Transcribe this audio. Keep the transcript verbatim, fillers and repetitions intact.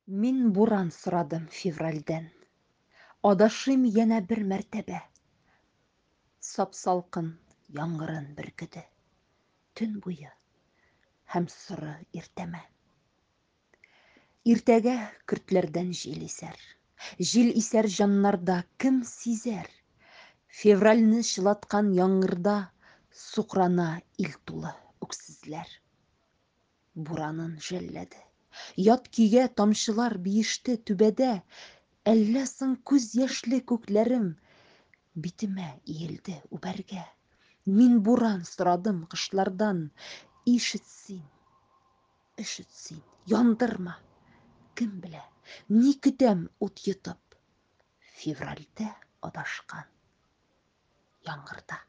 Мин буран сорадым февральдән. Адашыйм янә бер мәртәбә. Сап-салкын яңгырын бөркеде төн буе һәм соры иртәмә. Иртәгә көртләрдән җил исәр. Җил исәр җаннарда, кем сизәр? Февральне чылаткан яңгырда сукрана ил тулы үксезләр. Буранын жәлләде. Ят көйгә тамчылар биеште түбәдә. Әллә соң күз яшьле күкләрем битемә иелде үбәргә. Мин буран сорадым кышлардан. Ишет син, өшет син, яндырма. Кем белә, ни көтәм ут йотып, февральдә адашкан яңгырда.